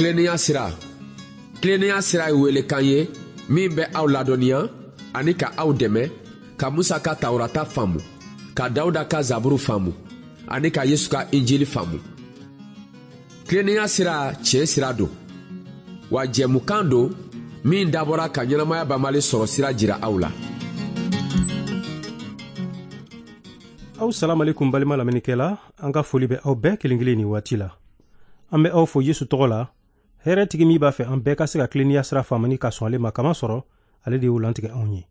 Tilennenya sira. Tilennenya sira ye welekan ye min bɛ aw ladɔnniya ani ka aw dɛmɛ ka Musa ka Tawurata faamu, ka Dawuda ka Zaburu faamu ani ka Yesu ka Injili faamu. Tilennenya sira tiɲɛ sira don, wa jɛmukan don min dabɔra ka ɲɛnamaya banbali sɔrɔ sira jira aw la. Aw salamalekum balima lamɛnnikɛla, an ka foli bɛ aw bɛɛ kelen kelen nin waati la. An bɛ aw fo Yesu tɔgɔ la, hɛrɛtigi min b'a fɛ an bɛɛ ka se ka tilennenya sira faamu ni ka sɔn ale ma, kama sɔrɔ ale de y'o lantigɛ anw ye.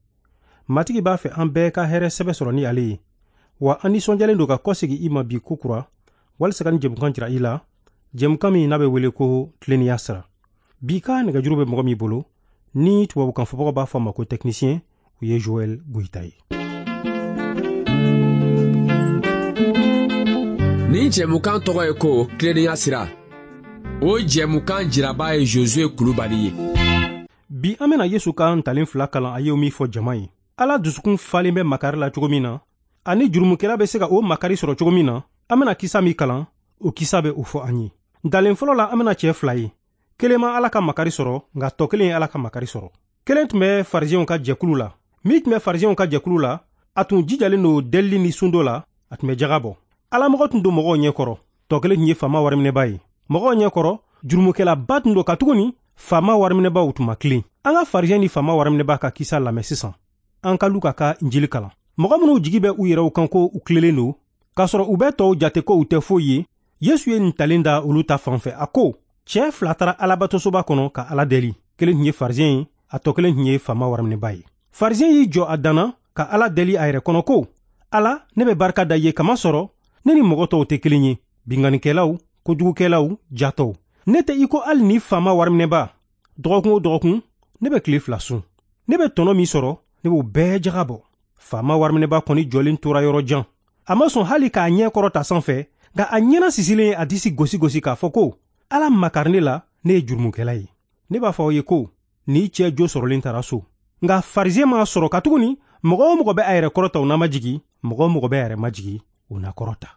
Matigi b'a fɛ an bɛɛ ka hɛrɛ sɛbɛ sɔrɔ ni ale ye, wa an nisɔndiyalen don ka kɔsegin i ma bi kokura walisa ka nin jɛmukan jira i la, jɛmukan min n'a bɛ wele ko tilennenya sira. Bi ka nɛgɛjuru bɛ mɔgɔ min bolo, ni tubabukan fɔbagaw b'a fɔ a ma ko technicien, o ye Joël Goyita ye. Nin jɛmukan tɔgɔ ye ko tilennenya sira. O jɛmukan jiraba ye Josué Kulubali ye. Bi an bɛna Yesu ka ntalen fila kalan a ye min fɔ jama ye. Ala dusukun falen bɛ makari la cogo min na, ani jurumukɛla bɛ se ka o makari sɔrɔ cogo min na, an bɛna kisa min kalan, o kisa bɛ o fɔ an ye. Ntalen fɔlɔ la, an bɛna cɛ fila ye. Kelen ma Ala ka makari sɔrɔ, nka tɔ kelen ye Ala ka makari sɔrɔ. Kelen tun bɛ farisiyɛnw ka jɛkulu la. Min tun bɛ farisiyɛnw ka jɛkulu la, a tun jijalen don delili ni sundo la, a tun bɛ jaga bɔ. Alamɔgɔ tun don mɔgɔw ɲɛkɔrɔ. Tɔ kelen tun ye faama wariminɛba ye. Mɔgɔw ɲɛkɔrɔ, jurumukɛlaba tun don katuguni faama wariminɛbaw tun ma tilen. An ka farisiyɛn ni faama wariminɛba ka kisa lamɛn sisan. An ka Luka ka Injili kalan. Mɔgɔ minnu jigi bɛ u yɛrɛw kan ko u tilelen don, k'a sɔrɔ u bɛ tɔw jate ko u tɛ foyi ye, Yesu ye nin talen da olu ta fan fɛ. A ko, cɛ fila taara Alabatosoba kɔnɔ ka Ala deli. Kelen tun ye farisiyɛn ye, a tɔ kelen tun ye faama wariminɛba ye. Farisiyɛn y'i jɔ a danna ka Ala deli a yɛrɛ kɔnɔ ko, Ala, ne bɛ barika da i ye kamasɔrɔ ne ni mɔgɔ tɔw tɛ kelen ye, binkannikɛlaw, kojugukɛlaw, jatɔw. Ne tɛ i ko hali ni faama wariminɛba. Dɔgɔkun o dɔgɔkun, ne bɛ tile fila sun. Ne bɛ tɔnɔ min sɔrɔ, ne b'o bɛɛ jaga bɔ. Faama wariminɛba kɔni jɔlen tora yɔrɔ jan. A ma sɔn hali k'a ɲɛ kɔrɔta sanfɛ, nka a ɲɛna sisilen ye a disi gosi gosi k'a fɔ ko, Ala makari ne la, ne ye jurumukɛla ye. Ne b'a fɔ aw ye ko, ni cɛ jo sɔrɔlen taara so. Nka farisiyɛn m'a sɔrɔ katuguni mɔgɔ o mɔgɔ bɛ a yɛrɛ kɔrɔta o n'a ma jigin, mɔgɔ o mɔgɔ bɛ a yɛrɛ majigin o na kɔrɔta.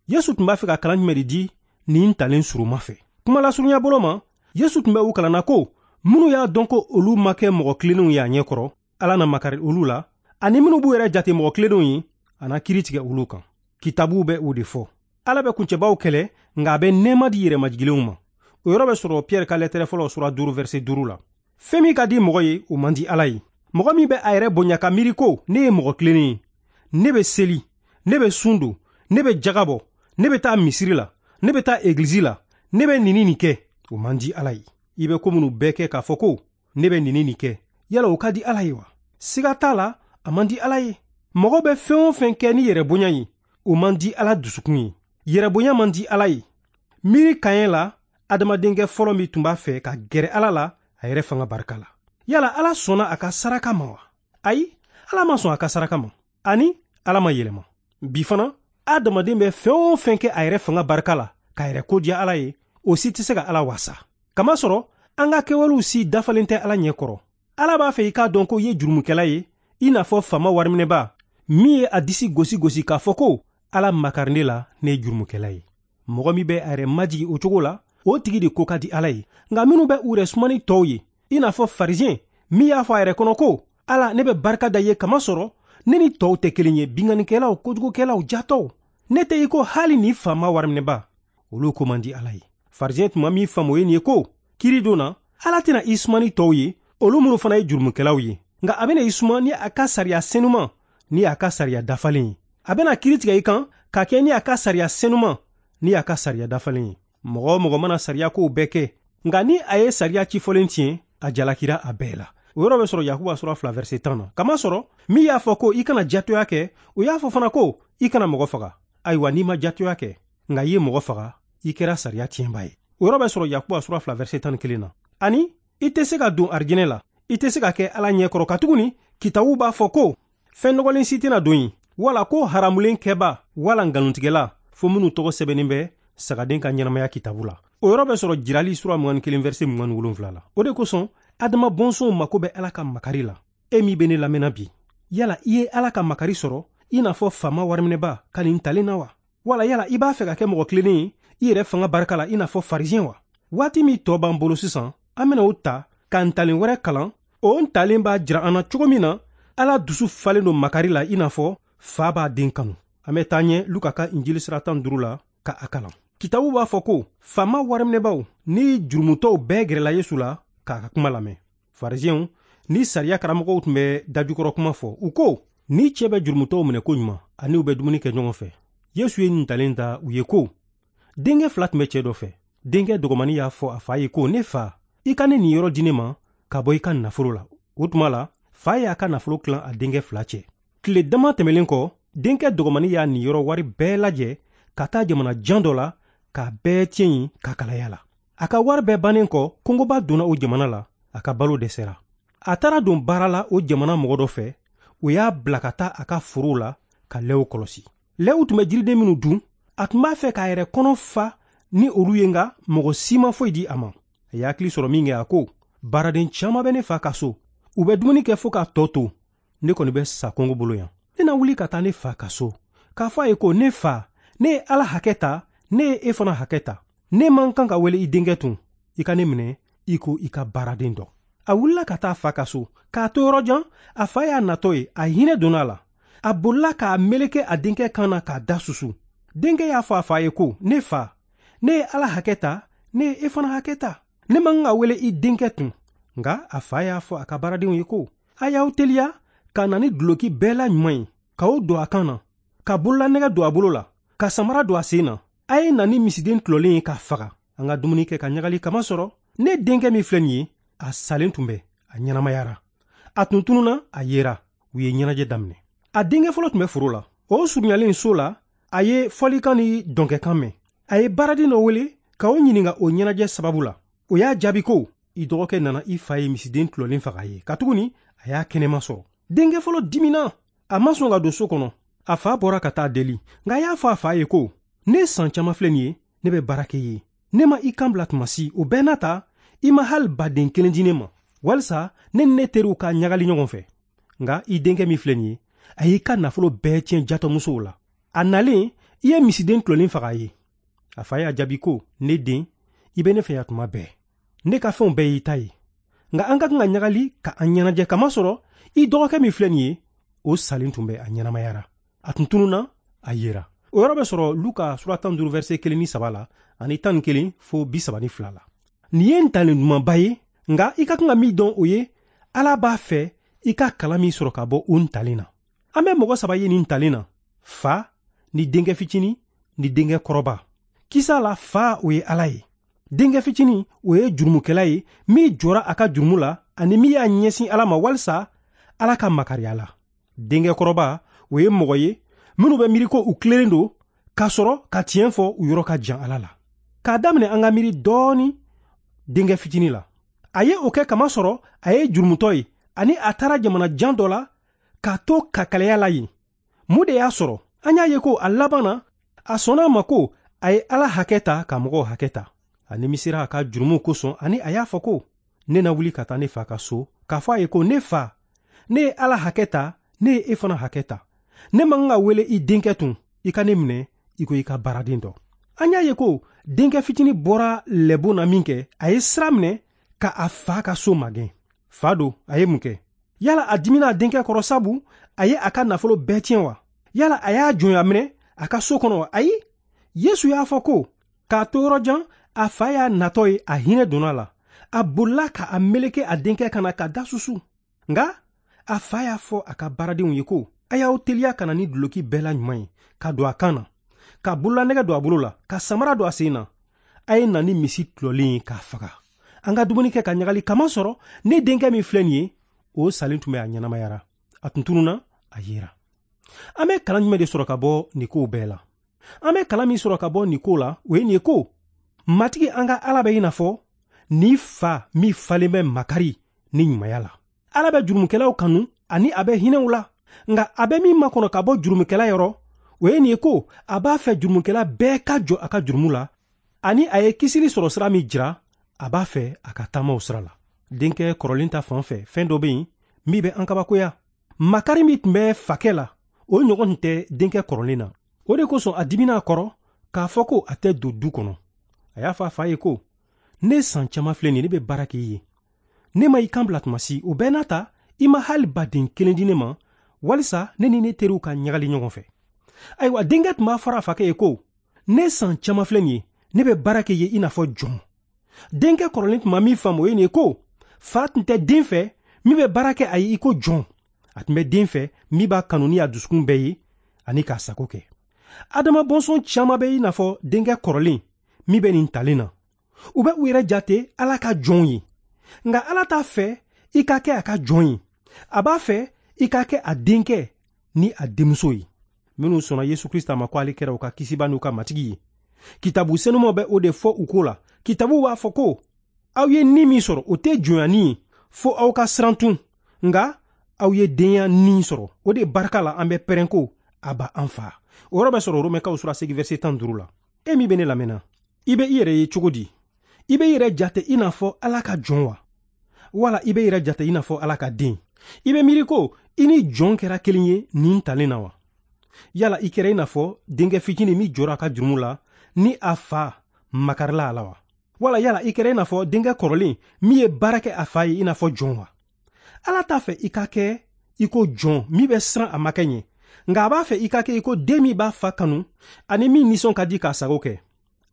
Yesu tun b'a fɛ ka kalan jumɛn de di nin talen suruma fɛ? Kuma lasurunya bolo ma, Yesu tun bɛ u kalanna ko minnu y'a dɔn ko olu ma kɛ mɔgɔ tilennenw ye a ɲɛ kɔrɔ, Ala na makari olu la, ani minnu b'u yɛrɛ jate mɔgɔ tilennenw ye, a na kiiri tigɛ olu kan. Kitabuw bɛ o de fɔ. Ala bɛ kuncɛbaw kɛlɛ, nka a bɛ nɛɛma di yɛrɛmajiginlenw ma. O yɔrɔ bɛ sɔrɔ Pierre ka lɛtɛrɛ fɔlɔ sura 5 verset 5 la. Fɛn min ka di mɔgɔ ye, o man di Ala ye. Mɔgɔ min bɛ a yɛrɛ bonya ka miiri ko ne ye mɔgɔ tilennen ye, ne bɛ seli, ne bɛ sun don, ne bɛ jaga bɔ, ne bɛ taa misiri la, ne bɛ taa egilizi la, ne bɛ nin nin kɛ, o man di Ala ye. I bɛ ko minnu bɛɛ kɛ k'a fɔ ko ne bɛ nin nin kɛ, yala o ka di Ala ye wa? Siga t'a la, a man di Ala ye. Mɔgɔ bɛ fɛn o fɛn kɛ ni yɛrɛbonya ye, o man di Ala dusukun ye. Yɛrɛbonya man di Ala ye. Miiri kaɲɛ la, adamadenkɛ fɔlɔ min tun b'a fɛ ka gɛrɛ Ala la, a yɛrɛ fanga barika la. Yala Ala sɔnna a ka saraka ma wa? Ayi, Ala ma sɔn a ka saraka ma. Ani Ala ma yɛlɛma. Bi fana, adamaden bɛ fɛn o fɛn kɛ a yɛrɛ fanga barika la, k'a yɛrɛ kodiya Ala ye, o si tɛ se ka Ala wasa. Kamasɔrɔ, an ka kɛwalew si dafalen tɛ Ala ɲɛ kɔrɔ. Ala b'a fɛ i k'a dɔn ko i ye jurumukɛla ye, i n'a fɔ faama wariminɛba min ye a disi gosi gosi k'a fɔ ko Ala makari ne la, ne ye jurumukɛla ye. Mɔgɔ min bɛ a yɛrɛ majigin o cogo la, o tigi de ko ka di Ala ye. Nka minnu bɛ u yɛrɛ suma ni tɔw ye, i n'a fɔ farisiyɛn min y'a fɔ a yɛrɛ kɔnɔ ko, Ala, ne bɛ barika da i ye kamasɔrɔ ne ni tɔw tɛ kelen ye, binkannikɛlaw, kojugukɛlaw, jatɔw. Ne tɛ i ko hali ni faama wariminɛba. Olu ko man di Ala ye. Farisiyɛn tun ma min faamu o ye nin ye ko, kiiri don na, Ala tɛna i suma ni tɔw ye, olu minnu fana ye jurumukɛlaw ye. Nka a bɛna i suma ni a ka sariya senuman ni a ka sariya dafalen ye. A bɛna kiiri tigɛ i kan ka kɛ ni a ka sariya senuman ni a ka sariya dafalen ye. Mɔgɔ o mɔgɔ mana sariya kow bɛɛ kɛ, nka ni a ye sariya cifɔlen tiɲɛ, a jalakira a bɛɛ la. O yɔrɔ bɛ sɔrɔ Yakuba sura 2 verset 10 na. Kamasɔrɔ, min y'a fɔ ko i kana jatoya kɛ, o y'a fɔ fana ko i kana mɔgɔ faga. Ayiwa, n'i ma jatoya kɛ, nka i ye mɔgɔ faga, i kɛra sariya tiɲɛba ye. O yɔrɔ bɛ sɔrɔ Yakuba sura 2 verset 11 na. Ani i tɛ se ka don arijinɛ la, i tɛ se ka kɛ Ala ɲɛ kɔrɔ katuguni kitabu b'a fɔ ko fɛn nɔgɔlen si tɛna don yen, wala ko haramulen kɛba wala nkalontigɛla, fo minnu tɔgɔ sɛbɛnnen bɛ sagaden ka ɲɛnamaya kitabu la. O yɔrɔ bɛ sɔrɔ Jirali sura 21 verset 27 la. O de kosɔn, Adama bɔnsɔnw mako bɛ Ala ka makari la. E min bɛ ne lamɛnna bi, yala i ye Ala ka makari sɔrɔ i n'a fɔ faama wariminɛba ka nin talen na wa? Wala yala i b'a fɛ ka kɛ mɔgɔ tilennen ye i yɛrɛ fanga barika la i n'a fɔ farisiyɛn wa? Waati min tɔ b'an bolo sisan, an bɛna o ta ka ntalen wɛrɛ kalan. O ntalen b'a jira an na cogo min na Ala dusu falen don makari la, i n'a fɔ fa b'a den kanu. An bɛ taa ɲɛ Luka ka Injili sira 15 la ka a kalan. Kitabu b'a fɔ ko faama wariminɛbaw ni jurumutɔw bɛɛ gɛrɛla Yesu la k'a ka kuma lamɛn. Farisiɛnw ni sariya karamɔgɔw tun bɛ dajukɔrɔ kuma fɔ. U ko ni cɛ bɛ jurumutɔw minɛ ko ɲuman ani u bɛ dumuni kɛ ɲɔgɔn fɛ. Yesu ye ntalen da u ye ko denkɛ fila tun bɛ cɛ dɔ fɛ. Denkɛ dɔgɔmani y'a fɔ a fa ye ko ne fa, i ka ne nin yɔrɔ di ne ma ka bɔ i ka nafolo la. O tuma la, fa y'a ka nafolo tilan a denkɛ fila cɛ. Tile dama tɛmɛlen kɔ, denkɛ dɔgɔmani y'a niyɔrɔ wari bɛɛ lajɛ ka taa jamana jan dɔ la k'a bɛɛ tiɲɛ yen ka kalaya la. A ka wari bɛɛ bannen kɔ, kɔngɔba donna o jamana la, a ka balo dɛsɛra. A taara don baara la o jamana mɔgɔ dɔ fɛ, o y'a bila ka taa a ka forow la ka lɛw kɔlɔsi. Lɛw tun bɛ jiriden minnu dun, a tun b'a fɛ k'a yɛrɛ kɔnɔ fa ni olu ye, nka mɔgɔ si ma foyi di a ma. A ye hakili sɔrɔ min kɛ, a ko baaraden caman bɛ ne fa ka so, u bɛ dumuni kɛ fo k'a tɔ to, ne kɔni bɛ sa kɔngɔ bolo yan. Ne na wuli ka taa ne fa ka so k'a fɔ a ye ko ne fa, ne ye Ala hakɛ ta, ne ye e fana hakɛ ta. Ne man kan ka wele i denkɛ tun, i ka ne minɛ i ko i ka baaraden dɔ. A wulila ka taa fa ka so. K'a to yɔrɔ jan, a fa y'a natɔ ye, a hinɛ donna a la. A bolila k'a meleke a denkɛ kan na k'a da susu. Denkɛ y'a fɔ a fa ye ko ne fa, ne ye Ala hakɛ ta, ne ye e fana hakɛ ta. Ne man kan ka wele i denkɛ tun. Nka a fa y'a fɔ a ka baaradenw ye ko a y'aw teliya ka na ni duloki bɛɛ la ɲuman ye, k'o don a kan na, ka bololanɛgɛ don a bolo la, ka samara don a sen na. A ye na ni misiden tulɔlen ye k'a faga, an ka dumuni kɛ ka ɲagali kama sɔrɔ. Ne denkɛ min filɛ nin ye, a salen tun bɛ, a ɲɛnamayara. A tun tununna, a yera. U ye ɲɛnajɛ daminɛ. A denkɛ fɔlɔ tun bɛ foro la. O surunyalen so la, a ye fɔlikan ni dɔnkɛkan mɛn. A ye baaraden dɔ wele k'o ɲininka o ɲɛnajɛ sababu la. O y'a jaabi ko i dɔgɔkɛ nana i fa ye misiden tulɔlen faga a ye, katuguni a y'a kɛnɛma sɔrɔ. Denkɛ fɔlɔ dimina, a ma sɔn ka don so kɔnɔ. A fa bɔra ka taa deli, nka a y'a fɔ a fa ye ko ne san caman filɛ nin ye, ne bɛ baara kɛ i ye. Ne ma i kan bila tuma si, o bɛɛ n'a ta, i ma hali baden kelen di ne ma, walisa ne ni ne teriw ka ɲagali ɲɔgɔn fɛ. Nka i denkɛ min filɛ nin ye, a y'i ka nafolo bɛɛ tiɲɛ jatɔmusow la. A nalen, i ye misiden tulɔlen faga a ye. A fa y'a jaabi ko ne den, i bɛ ne fɛ yan tuma bɛɛ. Ne ka fɛnw bɛɛ y'i ta ye. Nka an ka kan ka ɲagali ka an ɲɛnajɛ, kamasɔrɔ i dɔgɔkɛ min filɛ nin ye, o salen tun bɛ, a ɲɛnamayara. A tun tununna, a yera. O yɔrɔ bɛ sɔrɔ Luka sura 15 verset 1 ni 3 la ani 11 fo 32 la. Nin ye ntalen dumanba ye, nka i ka kan ka min dɔn o ye, Ala b'a fɛ i ka kalan min sɔrɔ ka bɔ o ntalen na. An bɛ mɔgɔ saba ye nin ntalen na: fa ni denkɛ fitinin ni denkɛ kɔrɔba. Kisa la, fa o ye Ala ye. Denkɛ fitinin o ye jurumukɛla ye min jɔra a ka jurumu la ani min y'a ɲɛsin Ala ma walisa Ala ka makariya la. Denkɛ kɔrɔba o ye mɔgɔ ye minnu bɛ miiri ko u tilennen don k'a sɔrɔ ka tiɲɛ fɔ u yɔrɔ ka jan Ala la. K'a daminɛ an ka miiri dɔɔni denkɛ fitinin la. A ye o kɛ kamasɔrɔ a ye jurumutɔ ye ani a taara jamana jan dɔ la k'a to kakalaya la yen. Mun de y'a sɔrɔ? An y'a ye ko a laban na, a sɔnna a ma ko a ye Ala hakɛ ta ka mɔgɔw hakɛ ta. A nimisira a ka jurumuw kosɔn ani a y'a fɔ ko ne na wuli ka taa ne fa ka so k'a fɔ a ye ko ne fa, ne ye Ala hakɛ ta, ne ye e fana hakɛ ta. Ne man kan ka wele i denkɛ tun, i ka ne minɛ i ko i ka baaraden dɔ. An y'a ye ko denkɛ fitinin bɔra lɛbon na min kɛ, a ye sira minɛ ka a fa ka so magɛn. Fa don, a ye mun kɛ? Yala a dimina a denkɛ kɔrɔ sabu a ye a ka nafolo bɛɛ tiɲɛ wa? Yala a y'a jɔnya minɛ a ka so kɔnɔ wa? Ayi, Yesu y'a fɔ ko k'a to yɔrɔ jan, a fa y'a natɔ ye, a hinɛ donna a la. A bolila ka a meleke a denkɛ kan na ka da susu. Nka a fa y'a fɔ a ka baaradenw ye ko a y'aw teliya ka na ni duloki bɛɛ la ɲuman ye ka don a kan na, ka bololanɛgɛ don a bolo la, ka samara don a sen na. A ye na ni misi tulɔlen ye k'a faga. An ka dumuni kɛ ka ɲagali, kamasɔrɔ ne denkɛ min filɛ nin ye, o salen tun bɛ, a ɲɛnamayara. A tun tununna, a yera. An bɛ kalan jumɛn de sɔrɔ ka bɔ nin kow bɛɛ la? An bɛ kalan min sɔrɔ ka bɔ nin ko la, o ye nin ye ko Matigi an ka Ala bɛ i n'a fɔ ni fa min falen bɛ makari ni ɲumanya la. Ala bɛ jurumukɛlaw kanu ani a bɛ hinɛ u la. Nka a bɛ min makɔnɔ ka bɔ jurumukɛla yɔrɔ, o ye nin ye ko a b'a fɛ jurumukɛla bɛɛ ka jɔ a ka jurumu la, ani a ye kisili sɔrɔ sira min jira, a b'a fɛ a ka taama o sira la. Denkɛ kɔrɔlen ta fan fɛ, fɛn dɔ bɛ yen min bɛ an kabakoya. Makari min tun bɛ fakɛ la, o ɲɔgɔn tun tɛ denkɛ kɔrɔlen na. O de kosɔn a dimina a kɔrɔ k'a fɔ ko a tɛ don du kɔnɔ. A y'a fɔ a fa ye ko Ne san caman filɛ nin ye, ne bɛ baara kɛ i ye, ne ma i kan bila tuma si. O bɛɛ n'a ta, i ma hali baden kelen di ne ma walisa ne ni ne teriw ka ɲagali ɲɔgɔn fɛ. Ayiwa, denkɛ tun b'a fɔra a fakɛ ye ko, ne san caman filɛ nin ye, ne bɛ baara kɛ i ye i n'a fɔ jɔn. Denkɛ kɔrɔlen tun ma min faamu, o ye nin ye ko fa tun tɛ den fɛ min bɛ baara kɛ a ye i ko jɔn. A tun bɛ den fɛ min b'a kanu ni a dusukun bɛɛ ye ani k'a sago kɛ. Adama bɔnsɔn caman bɛ i n'a fɔ denkɛ kɔrɔlen min bɛ nin talen na. U bɛ u yɛrɛ jate Ala ka jɔnw ye, nka Ala t'a fɛ i ka kɛ a ka jɔn ye. A b'a fɛ i ka kɛ a denkɛ ni a denmuso ye. Minnu sɔnna Yesu Krista ma ko ale kɛra u ka kisiba n'u ka matigi ye, kitabu senumaw bɛ o de fɔ u ko la. Kitabu b'a fɔ ko aw ye ni min sɔrɔ, o tɛ jɔnya ni ye, fo aw ka siran tun, nka aw ye denya ni sɔrɔ. O de barika la an bɛ pɛrɛn ko Aba an fa. O yɔrɔ bɛ sɔrɔ Romɛkaw sura 8 verset 15 la. E min bɛ ne lamɛnna, i bɛ i yɛrɛ ye cogo di? I bɛ i yɛrɛ jate i n'a fɔ Ala ka jɔn wa? Wala i bɛ i yɛrɛ jate i n'a fɔ Ala ka den? I bɛ miiri ko i ni jɔn kɛra kelen ye nin talen na wa? Yala i kɛra i n'a fɔ denkɛ fitinin min jɔra a ka jurumu la ni a fa makarila a la wa? Wala yala i kɛra i n'a fɔ denkɛ kɔrɔlen min ye baara kɛ a fa ye i n'a fɔ jɔn wa? Ala t'a fɛ i ka kɛ i ko jɔn min bɛ siran a makɛ ɲɛ, nka a b'a fɛ i ka kɛ i ko den min b'a fa kanu ani min nisɔn ka di k'a sago kɛ.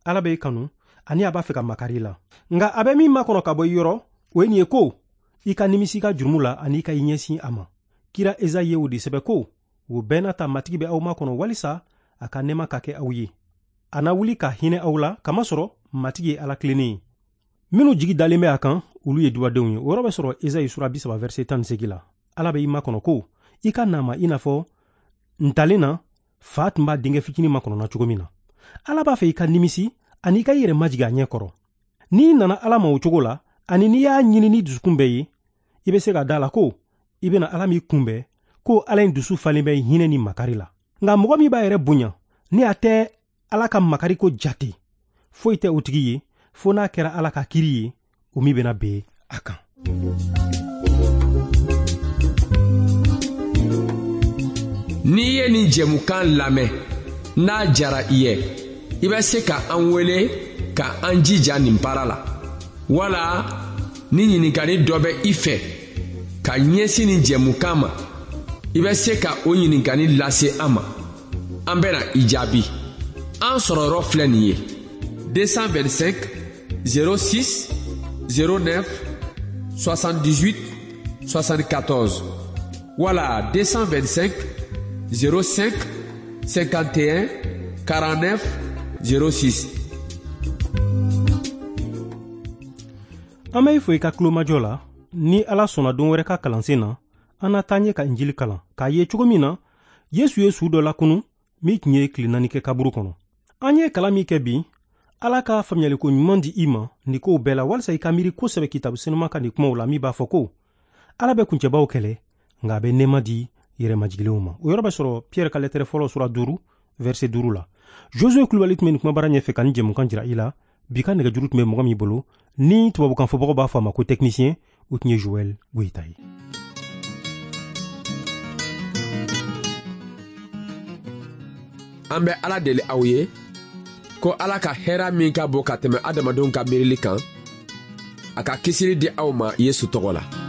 Ala bɛ i kanu ani a b'a fɛ ka makari i la, nka a bɛ min makɔnɔ ka bɔ i yɔrɔ, o ye nin ye ko i ka nimisi i ka jurumu la ani i ka i ɲɛsin a ma. Kira Ezayi ye o de sɛbɛ ko, o bɛɛ n'a ta Matigi bɛ aw makɔnɔ walisa a ka nɛɛma ka kɛ aw ye. A na wuli ka hinɛ aw la, kamasɔrɔ Matigi ye Ala tilennen ye. Minnu jigi dalen bɛ a kan, olu ye dubadenw ye. O yɔrɔ bɛ sɔrɔ Ezayi sura 30 verset 18 la. Ala bɛ i makɔnɔ ko i ka na ma i n'a fɔ ntalen na fa tun b'a denkɛ fitinin makɔnɔna cogo min na. Ala b'a fɛ i ka nimisi ani i ka i yɛrɛ majigin a ɲɛ kɔrɔ. N'i nana Ala ma o cogo la, ani n'i y'a ɲini ni dusukun bɛɛ ye, i bɛ se ka da la ko i bɛna Ala min kunbɛn, ko Ala in dusu falen bɛ hinɛ ni makari la. Nka mɔgɔ min b'a yɛrɛ bonya ni a tɛ Ala ka makari ko jate, foyi tɛ o tigi ye fo n'a kɛra Ala ka kiri ye, o min bɛna ben a kan. N'i ye nin jɛmukan lamɛn, n'a jara i ye, i bɛ se ka an wele ka an jija nin baara la, wala ni ɲininkali dɔ bɛ i fɛ ka ɲɛsin nin jɛmukan ma, i bɛ se ka o ɲininkali lase an ma. An bɛna i jaabi. An sɔrɔ yɔrɔ filɛ nin ye: 225 06 09 78 74 wala 225 05 51 49 06. An bɛ i fo i ka tulomajɔ la. Ni Ala sɔnna don wɛrɛ ka kalansen na, an na taa ɲɛ ka Injili kalan k'a ye cogo min na Yesu ye su dɔ lakunu min tun ye tile 4 kɛ kaburu kɔnɔ. An ye kalan min kɛ bi, Ala ka faamuyaliko ɲuman di i ma nin kow bɛɛ la, walisa i ka miiri kosɛbɛ kitabu senuma ka nin kumaw la min b'a fɔ ko Ala bɛ kuncɛbaw kɛlɛ, nka a bɛ nɛɛma di yɛrɛmajiginlenw ma. O yɔrɔ bɛ sɔrɔ Pierre ka lɛtɛrɛ fɔlɔ sura 5 verset 5 la. Josué Kulubali tun bɛ nin kumabara ɲɛfɛ ka nin jɛmukan jira i la. Bi ka nɛgɛjuru tun bɛ mɔgɔ min bolo, ni tubabukan fɔbagaw b'a fɔ a ma ko technicien, o tun ye Joël Goyita ye. An bɛ Ala deli aw ye ko Ala ka hɛra min ka bon ka tɛmɛ adamadenw ka miirili kan, a ka kisili di aw ma Yesu tɔgɔ la.